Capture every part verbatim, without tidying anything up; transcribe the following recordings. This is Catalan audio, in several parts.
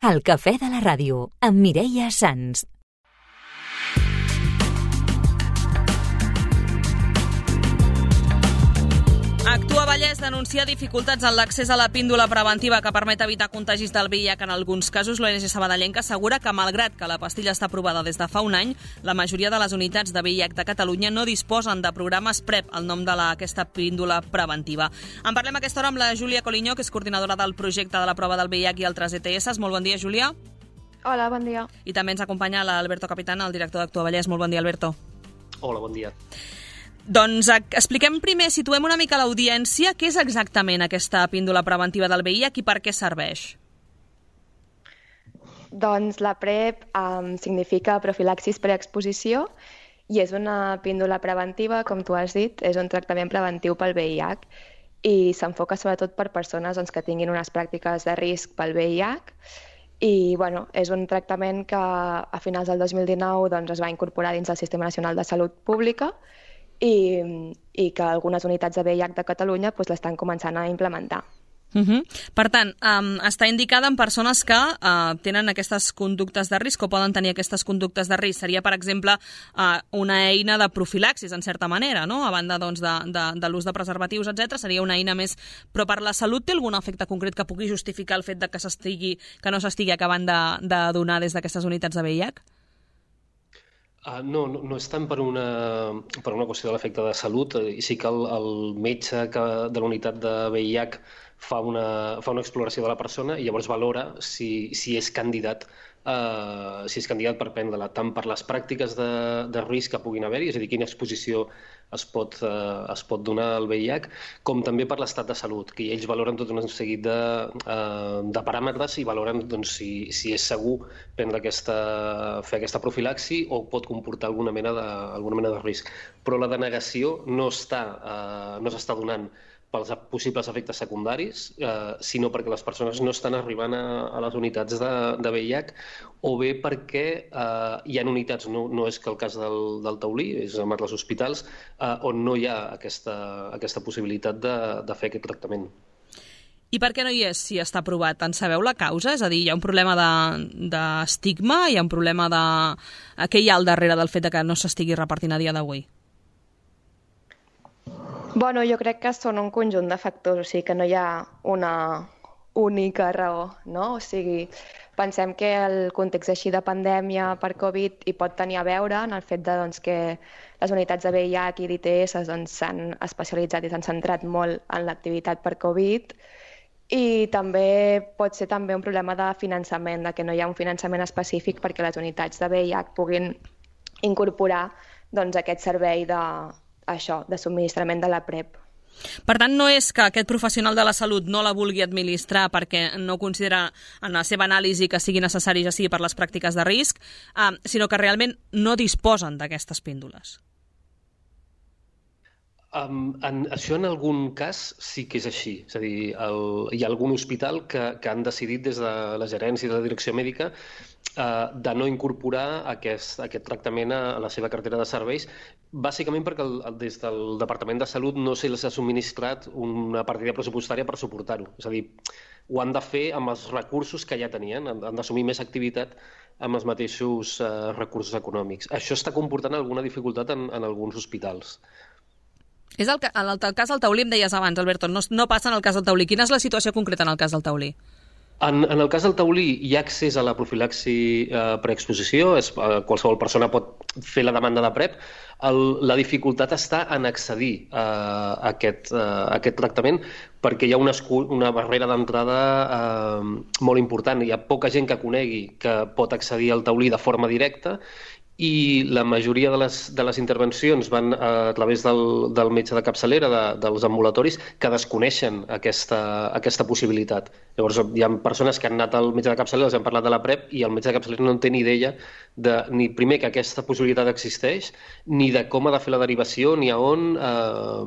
El cafè de la ràdio, amb Mireia Sans. Actua Vallès denuncia dificultats en l'accés a la píndola preventiva que permet evitar contagis del V I H en alguns casos. L'O N G Sabadellenca assegura que, malgrat que la pastilla està aprovada des de fa un any, la majoria de les unitats de V I H de Catalunya no disposen de programes PrEP, el nom d'aquesta píndola preventiva. En parlem a aquesta hora amb la Júlia Coliño, que és coordinadora del projecte de la prova del V I H i altres E T S. Molt bon dia, Júlia. Hola, bon dia. I també ens acompanya l'Alberto Capitán, el director d'Actua Vallès. Molt bon dia, Alberto. Hola, bon dia. Doncs expliquem primer, situem una mica l'audiència, què és exactament aquesta píndola preventiva del V I H i per què serveix? Doncs la PrEP um, significa profilaxis preexposició i és una píndola preventiva, com tu has dit, és un tractament preventiu pel V I H i s'enfoca sobretot per persones doncs, que tinguin unes pràctiques de risc pel V I H i bueno, és un tractament que a finals del dos mil dinou doncs, es va incorporar dins del Sistema Nacional de Salut Pública I, i que algunes unitats de V I H de Catalunya doncs, l'estan començant a implementar. Uh-huh. Per tant, um, està indicada en persones que uh, tenen aquestes conductes de risc o poden tenir aquestes conductes de risc. Seria, per exemple, uh, una eina de profilaxis, en certa manera, no? A banda doncs, de, de, de l'ús de preservatius, etcètera. Seria una eina més... Però per la salut té algun efecte concret que pugui justificar el fet de que, s'estigui, que no s'estigui acabant de, de donar des d'aquestes unitats de V I H? Uh, no, no, no és tant per una, per una qüestió de l'efecte de salut, i sí que el, el metge que, de la unitat de V I H fa una, fa una exploració de la persona i llavors valora si, si és candidat Uh, si és candidat per prendre-la, tant per les pràctiques de, de risc que puguin haver-hi, és a dir, quina exposició es pot, uh, es pot donar al V I H, com també per l'estat de salut, que ells valoren tot un seguit de, uh, de paràmetres i valoren doncs, si, si és segur prendre aquesta, fer aquesta profilaxi o pot comportar alguna mena de, alguna mena de risc. Però la denegació no està, uh, no s'està donant pels possibles efectes secundaris, eh, sinó perquè les persones no estan arribant a, a les unitats de, de V I H o bé perquè eh, hi ha unitats, no, no és que el cas del, del Taulí, és amb els hospitals, eh, on no hi ha aquesta, aquesta possibilitat de, de fer aquest tractament. I per què no hi és si està aprovat? En sabeu la causa? És a dir, hi ha un problema d'estigma, de, hi ha un problema de... Què hi ha al darrere del fet de que no s'estigui repartint a dia d'avui? Bueno, jo crec que són un conjunt de factors, o sigui que no hi ha una única raó, no? O sigui, pensem que el context així de pandèmia per Covid hi pot tenir a veure en el fet de, doncs, que les unitats de V I H i d'I T S doncs, s'han especialitzat i s'han centrat molt en l'activitat per Covid i també pot ser també un problema de finançament, de que no hi ha un finançament específic perquè les unitats de V I H puguin incorporar doncs, aquest servei de això, de subministrament de la PrEP. Per tant, no és que aquest professional de la salut no la vulgui administrar perquè no considera en la seva anàlisi que sigui necessari, ja sigui per les pràctiques de risc, eh, sinó que realment no disposen d'aquestes píndoles. Um, en, això en algun cas sí que és així. És a dir, el, hi ha algun hospital que, que han decidit des de la gerència i de la direcció mèdica uh, de no incorporar aquest, aquest tractament a, a la seva cartera de serveis, bàsicament perquè el, el, des del Departament de Salut no se'ls ha subministrat una partida pressupostària per suportar-ho. És a dir, ho han de fer amb els recursos que ja tenien, han, han d'assumir més activitat amb els mateixos uh, recursos econòmics. Això està comportant alguna dificultat en, en alguns hospitals. És el, en el, el cas del Taulí, em deies abans, Alberto, no, no passa en el cas del Taulí. Quina és la situació concreta en el cas del Taulí? En, en el cas del Taulí hi ha accés a la profilaxi eh, preexposició, és, eh, qualsevol persona pot fer la demanda de PrEP. El, la dificultat està en accedir eh, a, aquest, eh, a aquest tractament perquè hi ha una, una barrera d'entrada eh, molt important. Hi ha poca gent que conegui que pot accedir al Taulí de forma directa i la majoria de les, de les intervencions van a través del, del metge de capçalera, de, dels ambulatoris, que desconeixen aquesta, aquesta possibilitat. Llavors, hi ha persones que han anat al metge de capçalera, els han parlat de la PrEP, i el metge de capçalera no en té ni idea de, ni primer que aquesta possibilitat existeix, ni de com ha de fer la derivació, ni a on eh,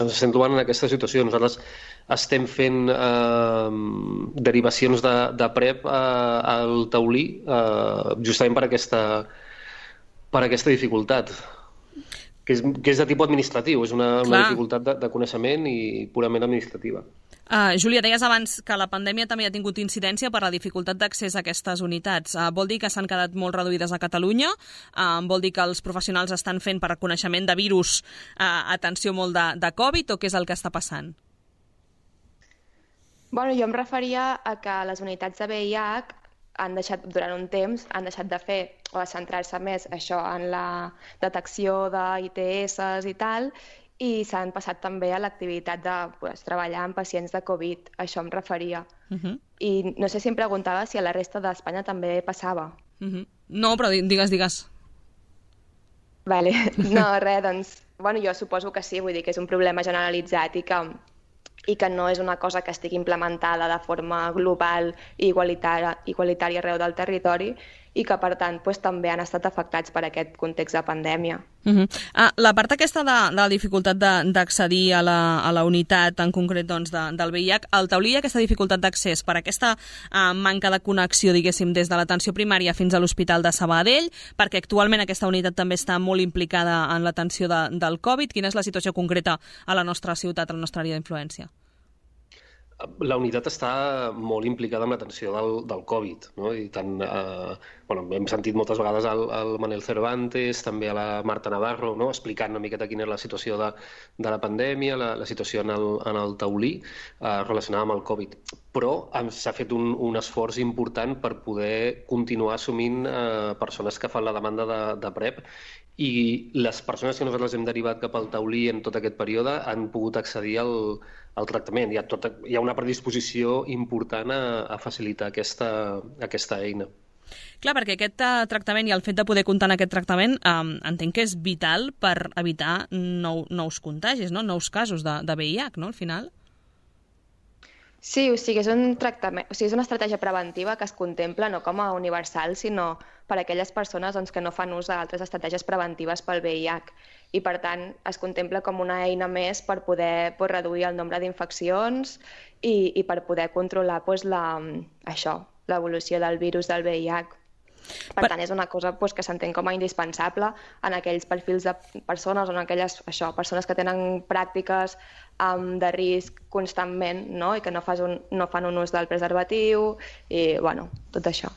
ens estem trobant en aquesta situació. Nosaltres estem fent eh, derivacions de, de PrEP eh, al Taulí, eh, justament per aquesta per aquesta dificultat. que és, que és de tipus administratiu, és una, una Clar. dificultat de, de coneixement i purament administrativa. Uh, Júlia, deies abans que la pandèmia també ha tingut incidència per la dificultat d'accés a aquestes unitats. Uh, vol dir que s'han quedat molt reduïdes a Catalunya? Uh, vol dir que els professionals estan fent per reconeixement de virus uh, atenció molt de, de Covid, o què és el que està passant? Bueno, jo em referia a que les unitats de V I H han deixat, durant un temps, han deixat de fer o de centrar-se més això en la detecció d'I T S i tal, i s'han passat també a l'activitat de pues, treballar amb pacients de Covid. Això em referia. Uh -huh. I no sé si em preguntava si a la resta d'Espanya també passava. Uh -huh. No, però digues, digues. Vale. No, res, doncs... Bueno, jo suposo que sí, vull dir que és un problema generalitzat i que i que no és una cosa que estigui implementada de forma global i igualitària, igualitària arreu del territori, i que, per tant, pues, també han estat afectats per aquest context de pandèmia. Uh -huh. ah, la part aquesta de, de la dificultat d'accedir a, la, a la unitat, en concret doncs, de, del V I H, el Taulí hi ha aquesta dificultat d'accés per aquesta uh, manca de connexió, diguéssim, des de l'atenció primària fins a l'Hospital de Sabadell, perquè actualment aquesta unitat també està molt implicada en l'atenció de, del Covid. Quina és la situació concreta a la nostra ciutat, a la nostra àrea d'influència? La unitat està molt implicada en l'atenció del, del Covid, no? I tant, eh, bueno, hem sentit moltes vegades al, al Manel Cervantes, també a la Marta Navarro, no? Explicant una miqueta quina és la situació de, de la pandèmia, la, la situació en el, en el Taulí, eh, relacionada amb el Covid. Però s'ha fet un, un esforç important per poder continuar assumint eh, persones que fan la demanda de, de PrEP, i les persones que nosaltres hem derivat cap al Taulí en tot aquest període han pogut accedir al, al tractament. Hi ha, tot, hi ha una predisposició important a, a facilitar aquesta, aquesta eina. Clar, perquè aquest uh, tractament i el fet de poder comptar en aquest tractament um, entenc que és vital per evitar nou, nous contagis, no? Nous casos de, de V I H, no?, al final. Sí, o sigui, és un tractament, o sigui, és una estratègia preventiva que es contempla no com a universal, sinó per a aquelles persones doncs, que no fan ús d'altres estratègies preventives pel V I H. I, per tant, es contempla com una eina més per poder pues, reduir el nombre d'infeccions i, i per poder controlar pues, la, això, l'evolució del virus del V I H. Per, per tant, és una cosa pues, que s'entén com a indispensable en aquells perfils de persones o en aquelles això, persones que tenen pràctiques um, de risc constantment, no? I que no, fas un, no fan un ús del preservatiu i, bueno, tot això.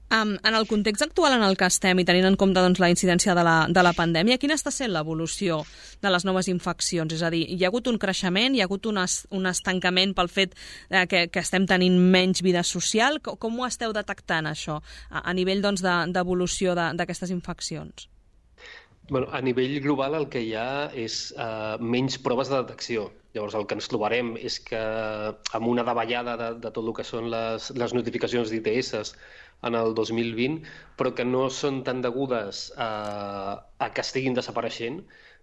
Um, en el context actual en el que estem i tenint en compte doncs, la incidència de la, de la pandèmia, quina està sent l'evolució de les noves infeccions? És a dir, hi ha hagut un creixement, hi ha hagut un, es, un estancament pel fet eh, que, que estem tenint menys vida social? Com, com ho esteu detectant, això, a, a nivell doncs, d'evolució de, d'aquestes infeccions? Bueno, a nivell global el que hi ha és uh, menys proves de detecció. Llavors el que ens trobarem és que amb una davallada de, de tot el que són les, les notificacions d'I T S en el dos mil vint, però que no són tan degudes a, a que estiguin desapareixent,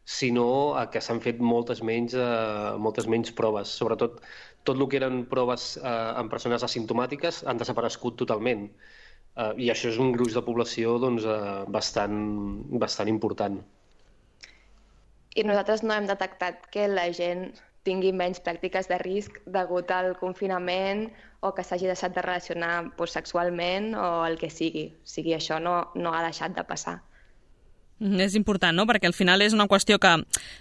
sinó a que s'han fet moltes menys, uh, moltes menys proves. Sobretot tot el que eren proves uh, en persones asimptomàtiques han desaparegut totalment. Uh, I això és un gruix de població doncs, uh, bastant, bastant important. I nosaltres no hem detectat que la gent tingui menys pràctiques de risc degut al confinament o que s'hagi deixat de relacionar pues, sexualment o el que sigui. O sigui, això no, no ha deixat de passar. És important, no?, perquè al final és una qüestió que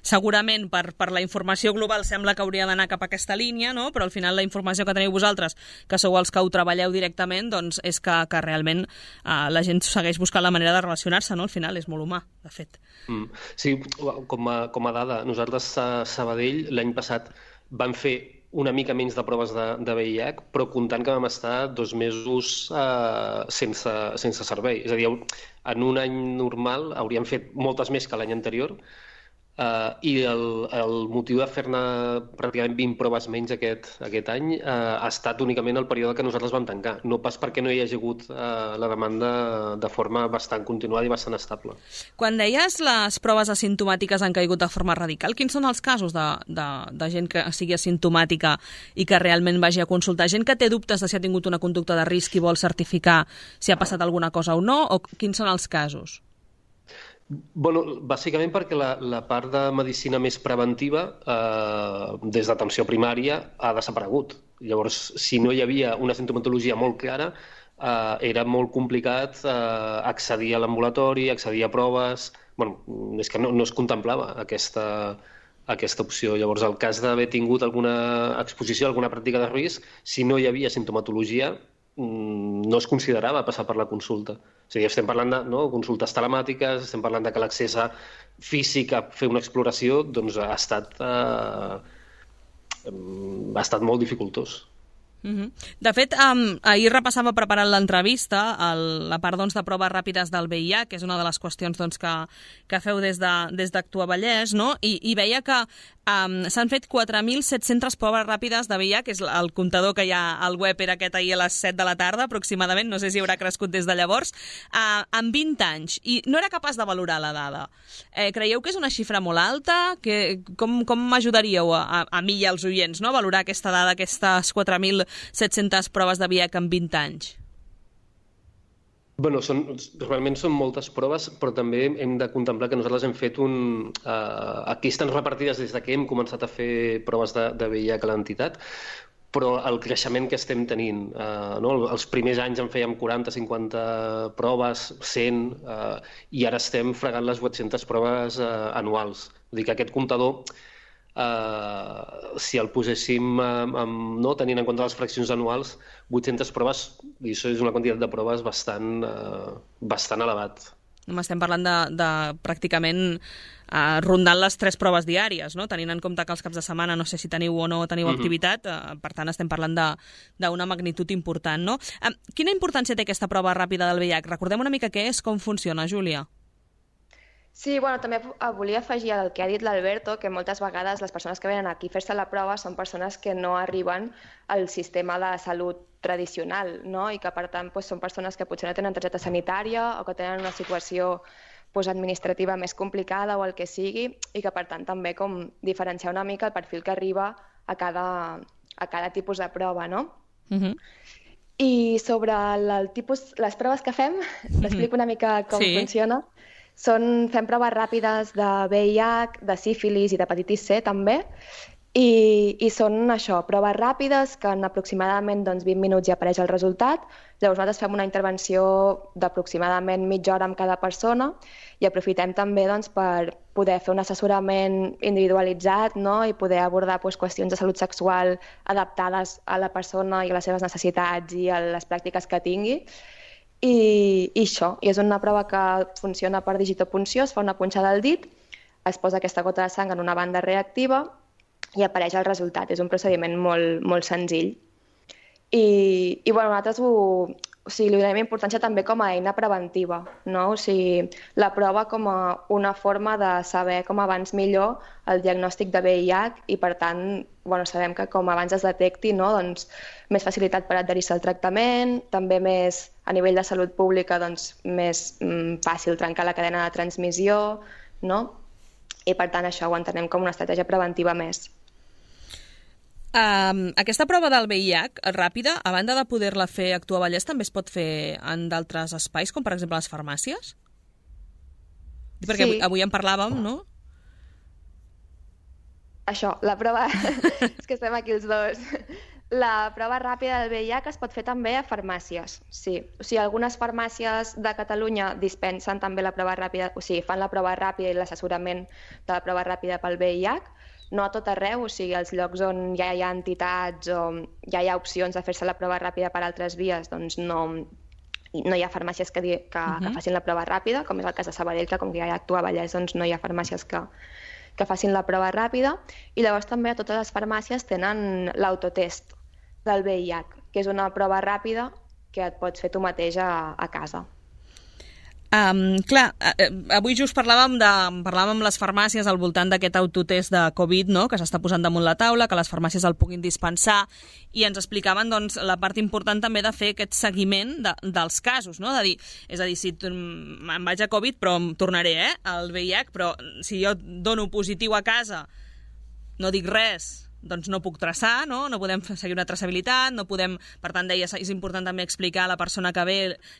segurament per, per la informació global sembla que hauria d'anar cap a aquesta línia, no?, però al final la informació que teniu vosaltres, que sou els que ho treballeu directament, doncs és que, que realment eh, la gent segueix buscant la manera de relacionar-se, no?, al final és molt humà, de fet. Mm. Sí, com a, com a dada, nosaltres a Sabadell l'any passat vam fer una mica menys de proves de, de V I H, però comptant que vam estar dos mesos eh, sense, sense servei. És a dir, en un any normal hauríem fet moltes més que l'any anterior, eh, i el, el motiu de fer-ne pràcticament vint proves menys aquest, aquest any eh, ha estat únicament el període que nosaltres vam tancar, no pas perquè no hi hagi hagut eh, la demanda de forma bastant continuada i bastant estable. Quan deies les proves asimptomàtiques han caigut de forma radical, quins són els casos de, de, de gent que sigui asimptomàtica i que realment vagi a consultar? Gent que té dubtes de si ha tingut una conducta de risc i vol certificar si ha passat alguna cosa o no, o quins són els casos? Bueno, bàsicament perquè la, la part de medicina més preventiva, eh, des d'atenció primària, ha desaparegut. Llavors, si no hi havia una sintomatologia molt clara, eh, era molt complicat eh, accedir a l'ambulatori, accedir a proves, bueno, és que no, no es contemplava aquesta, aquesta opció. Llavors, el cas d'haver tingut alguna exposició, alguna pràctica de risc, si no hi havia simptomatologia, no es considerava passar per la consulta. O sigui, estem parlant de no, consultes telemàtiques, estem parlant de que l'accés físic a fer una exploració doncs, ha, estat, eh, ha estat molt dificultós. Uh-huh. De fet, um, ahir repassava preparant l'entrevista el, la part doncs, de proves ràpides del V I H, que és una de les qüestions doncs, que, que feu des de, des d'Actua Vallès, no? I, i veia que um, s'han fet quatre mil set-centes proves ràpides de V I H, que és el comptador que hi ha al web, era aquest ahir a les set de la tarda aproximadament, no sé si haurà crescut des de llavors, uh, en vint anys, i no era capaç de valorar la dada. Eh, creieu que és una xifra molt alta? Que, com com m'ajudaríeu a, a, a mi i als oients, no? A valorar aquesta dada, aquestes quatre mil set-centes proves de V I H en vint anys? Bueno, són, realment són moltes proves, però també hem de contemplar que nosaltres hem fet un... Uh, aquí estan repartides des de que hem començat a fer proves de, de V I H a l'entitat, però el creixement que estem tenint, uh, no? Els primers anys en fèiem quaranta cinquanta proves, cent, uh, i ara estem fregant les vuit-centes proves uh, anuals. Vull dir que aquest comptador, Uh, si el poséssim um, um, no, tenint en compte les fraccions anuals, vuit-centes proves, i això és una quantitat de proves bastant, uh, bastant elevat. Estem parlant de, de pràcticament uh, rondant les tres proves diàries, no? Tenint en compte que els caps de setmana no sé si teniu o no teniu mm-hmm. activitat, uh, per tant estem parlant d'una magnitud important, no? Uh, quina importància té aquesta prova ràpida del V I H? Recordem una mica què és, com funciona, Júlia. Sí, bueno, també volia afegir al que ha dit l'Alberto, que moltes vegades les persones que venen aquí a fer-se la prova són persones que no arriben al sistema de salut tradicional, no? I que per tant doncs, són persones que potser no tenen targeta sanitària o que tenen una situació doncs, administrativa més complicada o el que sigui, i que per tant també com diferenciar una mica el perfil que arriba a cada, a cada tipus de prova, no? Uh-huh. I sobre el, el tipus, les proves que fem, uh-huh. t'explico una mica com sí. funciona. Són, fem proves ràpides de V I H, de sífilis i d'hepatitis C també, i, i són això, proves ràpides que en aproximadament doncs, vint minuts ja apareix el resultat. Llavors nosaltres fem una intervenció d'aproximadament mitja hora amb cada persona i aprofitem també doncs, per poder fer un assessorament individualitzat, no? I poder abordar doncs, qüestions de salut sexual adaptades a la persona i a les seves necessitats i a les pràctiques que tingui. I, i això, i és una prova que funciona per digitopunció, es fa una punxada al dit, es posa aquesta gota de sang en una banda reactiva i apareix el resultat. És un procediment molt, molt senzill. I, i bueno, nosaltres ho, o sigui, li donem importància també com a eina preventiva, no? O sigui, la prova com a una forma de saber com abans millor el diagnòstic de V I H i, per tant, bueno, sabem que com abans es detecti, no? Doncs, més facilitat per adherir-se al tractament, també més a nivell de salut pública doncs, més mm, fàcil trencar la cadena de transmissió, no? I per tant això ho entenem com una estratègia preventiva més. Um, aquesta prova del V I H ràpida, a banda de poder-la fer a Actua Vallès, també es pot fer en d'altres espais, com per exemple les farmàcies? Perquè sí. avui, avui en parlàvem, no? Això, la prova... és que estem aquí els dos. La prova ràpida del V I H es pot fer també a farmàcies, sí. O sigui, algunes farmàcies de Catalunya dispensen també la prova ràpida, o sigui, fan la prova ràpida i l'assessorament de la prova ràpida pel V I H, no a tot arreu, o sigui, als llocs on ja hi ha entitats o ja hi ha opcions de fer-se la prova ràpida per altres vies, doncs no, no hi ha farmàcies que, que, uh-huh. que facin la prova ràpida, com és el cas de Sabadell, que com que ja hi ha Actua Vallès, doncs no hi ha farmàcies que, que facin la prova ràpida. I llavors també a totes les farmàcies tenen l'autotest del V I H, que és una prova ràpida que et pots fer tu mateix a, a casa. Um, clar, avui just parlàvem, de, parlàvem amb les farmàcies al voltant d'aquest autotest de Covid, no?, que s'està posant damunt la taula, que les farmàcies el puguin dispensar, i ens explicaven doncs, la part important també de fer aquest seguiment de, dels casos, no? De dir, és a dir, si em vaig a Covid, però em tornaré eh, al V I H, però si jo dono positiu a casa, no dic res, doncs no puc traçar, no? No podem seguir una traçabilitat, no podem... Per tant, deia, és important també explicar a la persona que ve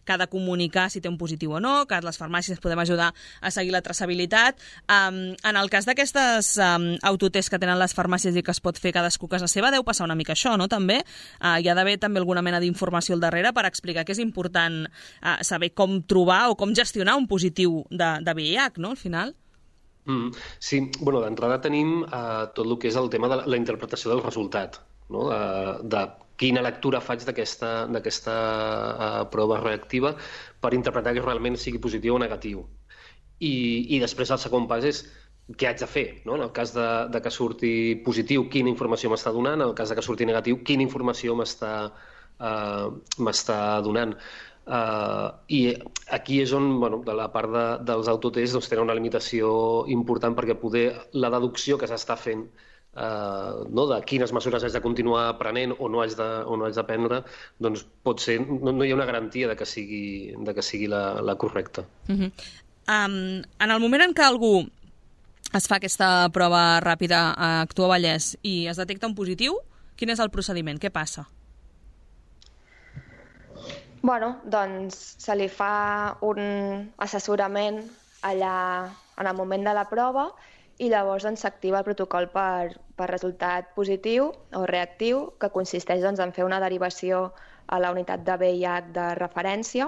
que ha de comunicar si té un positiu o no, que les farmàcies podem ajudar a seguir la traçabilitat. Um, en el cas d'aquestes um, autotests que tenen les farmàcies i que es pot fer cadascú a casa seva, deu passar una mica això, no? També uh, hi ha d'haver també alguna mena d'informació al darrere per explicar que és important uh, saber com trobar o com gestionar un positiu de, de V I H, no? Al final. Mm, sí, bueno, d'entrada tenim uh, tot el que és el tema de la, la interpretació del resultat, no? de, de quina lectura faig d'aquesta d'aquesta uh, prova reactiva per interpretar que realment sigui positiu o negatiu. I, i després el segon pas és què haig de fer, no? En el cas de, de que surti positiu, quina informació m'està donant, en el cas de que surti negatiu, quina informació m'està uh, m'està donant. Uh, I aquí és on, bueno, de la part de, dels autotests doncs, tenen una limitació important perquè poder la deducció que s'està fent uh, no, de quines mesures haig de continuar prenent o no haig de, o no haig de prendre, doncs pot ser, no, no hi ha una garantia de que sigui, de que sigui la, la correcta. Uh-huh. um, en el moment en què algú es fa aquesta prova ràpida a Actua Vallès i es detecta un positiu, quin és el procediment? Què passa? Bueno, doncs se li fa un assessorament allà en el moment de la prova i llavors doncs, s'activa el protocol per, per resultat positiu o reactiu, que consisteix doncs, en fer una derivació a la unitat de V I H de referència.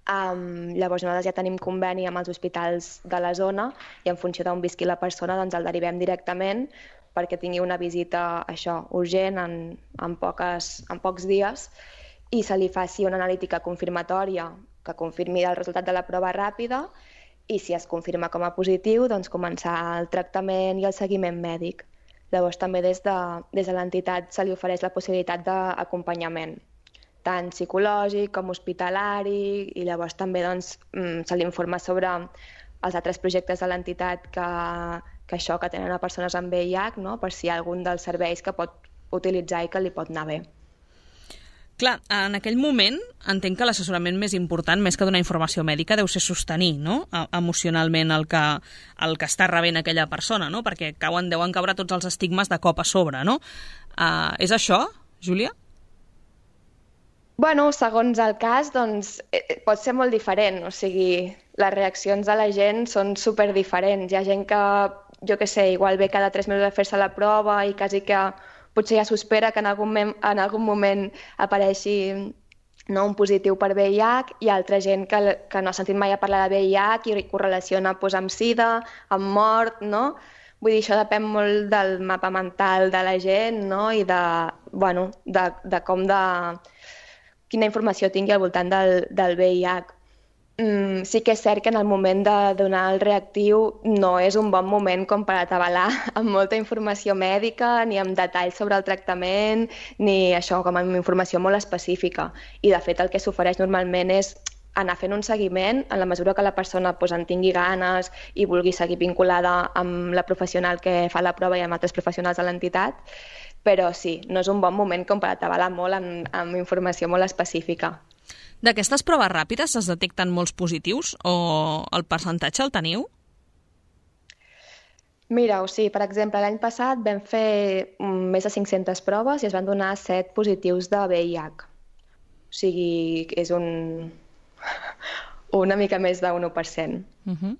Um, llavors nosaltres ja tenim conveni amb els hospitals de la zona i en funció d'on visqui la persona doncs, el derivem directament perquè tingui una visita això, urgent en, en, poques, en pocs dies i se li faci una analítica confirmatòria que confirmi el resultat de la prova ràpida i si es confirma com a positiu, doncs començar el tractament i el seguiment mèdic. Llavors també des de, des de l'entitat se li ofereix la possibilitat d'acompanyament, tant psicològic com hospitalari, i llavors també doncs, se li informa sobre els altres projectes de l'entitat que, que això que tenen a persones amb V I H, no? Per si hi ha algun dels serveis que pot utilitzar i que li pot anar bé. Clar, en aquell moment entenc que l'assessorament més important, més que donar informació mèdica, deu ser sostenir, no? Emocionalment el que, el que està rebent aquella persona, no? Perquè cauen, deuen caure tots els estigmes de cop a sobre, no? Uh, és això, Júlia? Bueno, segons el cas, doncs, eh, pot ser molt diferent. O sigui, les reaccions de la gent són superdiferents. Hi ha gent que, jo què sé, igual ve cada tres mesos a fer-se la prova i quasi que potser ja s'espera que en algun, en algun moment apareixi no, un positiu per V I H, i altra gent que, que no ha sentit mai a parlar de V I H i ho relaciona pues, amb sida, amb mort, no? Vull dir, això depèn molt del mapa mental de la gent, no? I de, bueno, de, de com de... quina informació tingui al voltant del, del V I H. Mm, sí que és cert que en el moment de donar el reactiu no és un bon moment com per atabalar amb molta informació mèdica, ni amb detalls sobre el tractament, ni això, com amb informació molt específica. I de fet el que s'ofereix normalment és anar fent un seguiment en la mesura que la persona pues, en tingui ganes i vulgui seguir vinculada amb la professional que fa la prova i amb altres professionals de l'entitat, però sí, no és un bon moment com per atabalar molt amb, amb informació molt específica. D'aquestes proves ràpides es detecten molts positius o el percentatge el teniu? Mira, o sigui, per exemple, l'any passat vam fer més de cinc-centes proves i es van donar set positius de V I H. O sigui, és un... una mica més d'un u per cent. Uh-huh.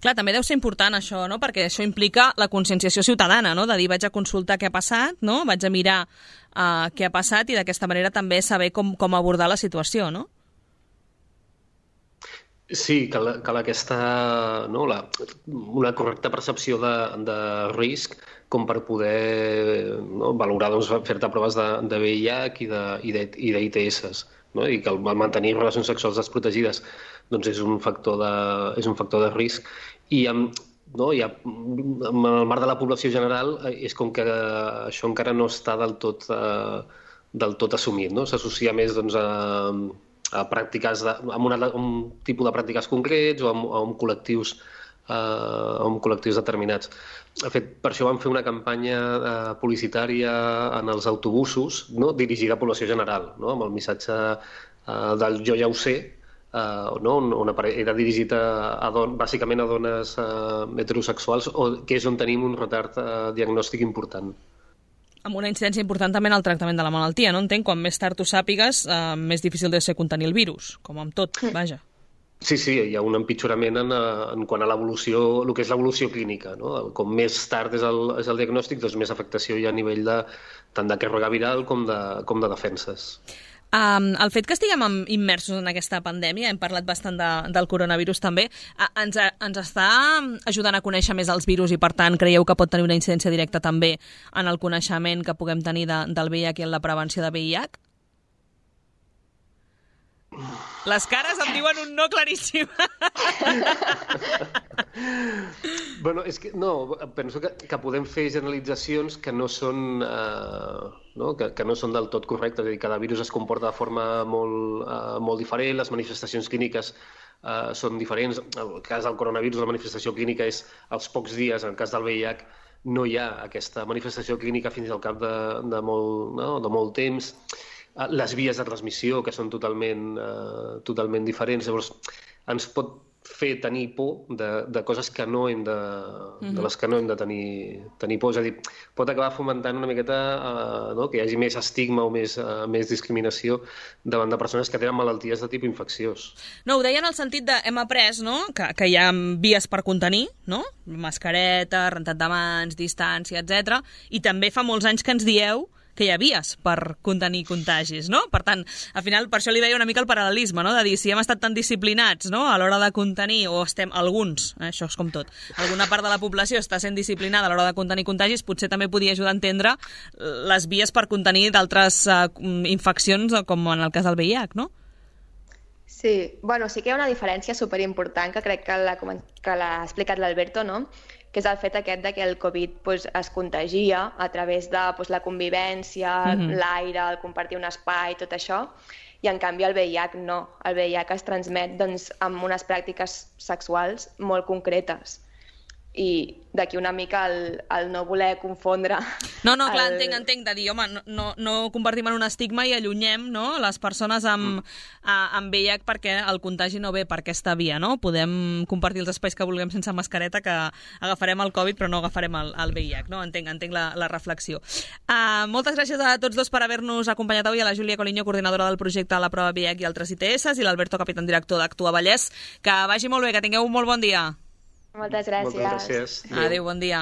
Clar, també deu ser important això, no? Perquè això implica la conscienciació ciutadana, no? De dir, vaig a consultar què ha passat, no? Vaig a mirar uh, què ha passat i d'aquesta manera també saber com, com abordar la situació, no? Sí, cal, cal aquesta, no, la, una correcta percepció de, de risc com per poder no, valorar, doncs, fer-te proves de, de V I H i de, i de, i de I T S, no? I que el mantenir relacions sexuals desprotegides doncs és un factor de, és un factor de risc. I amb, no, i amb el marc de la població general és com que això encara no està del tot, eh, del tot assumit, no? S'associa més doncs, a, a pràctiques de, a, una, a un tipus de pràctiques concrets o a, a, un col·lectius, eh, a un col·lectius determinats. De fet, per això vam fer una campanya eh, publicitària en els autobusos, no? Dirigida a població general, no? Amb el missatge eh, del jo ja ho sé, Uh, no? Una, era dirigit a, a don, bàsicament a dones uh, heterosexuals, o, que és on tenim un retard uh, diagnòstic important. Amb una incidència important també en el tractament de la malaltia, no? Entenc, quan més tard ho sàpigues, uh, més difícil de ser contenir el virus, com amb tot, vaja. Sí, sí, hi ha un empitjorament en, en quant a l'evolució, el que és l'evolució clínica, no? Com més tard és el, és el diagnòstic, doncs més afectació hi ha a nivell de, tant de càrrega viral com de, com de defenses. Um, el fet que estiguem immersos en aquesta pandèmia, hem parlat bastant de, del coronavirus també, uh, ens, ens està ajudant a conèixer més els virus i, per tant, creieu que pot tenir una incidència directa també en el coneixement que puguem tenir de, del V I H i en la prevenció de V I H? Les cares em diuen un no claríssim. Bueno, és que no, penso que, que podem fer generalitzacions que no són, eh, no? Que, que no són del tot correctes. És a dir, cada virus es comporta de forma molt, eh, molt diferent, les manifestacions clíniques eh, són diferents. En el cas del coronavirus, la manifestació clínica és als pocs dies. En el cas del V I H no hi ha aquesta manifestació clínica fins al cap de, de, molt, no? de molt temps. Les vies de transmissió, que són totalment, uh, totalment diferents. Llavors, ens pot fer tenir por de, de coses que no hem de, mm-hmm. de les que no hem de tenir, tenir por. És a dir, pot acabar fomentant una miqueta uh, no? que hi hagi més estigma o més, uh, més discriminació davant de persones que tenen malalties de tipus infecciós. No, ho deia en el sentit de hem après, no?, que, que hi ha vies per contenir, no?, mascareta, rentat de mans, distància, etcètera. I també fa molts anys que ens dieu que hi ha vies per contenir contagis, no? Per tant, al final, per això li veia una mica el paral·lelisme, no?, de dir, si hem estat tan disciplinats, no?, a l'hora de contenir, o estem, alguns, eh, això és com tot, alguna part de la població està sent disciplinada a l'hora de contenir contagis, potser també podia ajudar a entendre les vies per contenir d'altres uh, infeccions, com en el cas del V I H, no? Sí, bueno, sí que hi ha una diferència superimportant que crec que l'ha que l'ha explicat l'Alberto, no?, que és el fet aquest de que el Covid pues, es contagia a través de pues, la convivència, mm-hmm. l'aire, el compartir un espai, tot això, i en canvi el V I H no. El V I H es transmet doncs, amb unes pràctiques sexuals molt concretes. I d'aquí una mica el, el no voler confondre... No, no, clar, el... entenc, entenc, de dir, home, no, no, no convertim en un estigma i allunyem, no?, les persones amb, mm. a, amb V I H perquè el contagi no ve per aquesta via, no? Podem compartir els espais que vulguem sense mascareta, que agafarem el Covid però no agafarem el, el V I H, no? Entenc, entenc la, la reflexió. Uh, moltes gràcies a tots dos per haver-nos acompanyat avui, a la Júlia Coliño, coordinadora del projecte La Prova V I H i altres I T S, i l'Alberto Capitán, director d'Actua Vallès. Que vagi molt bé, que tingueu un molt bon dia. Moltes gràcies. Moltes gràcies. Adéu, bon dia.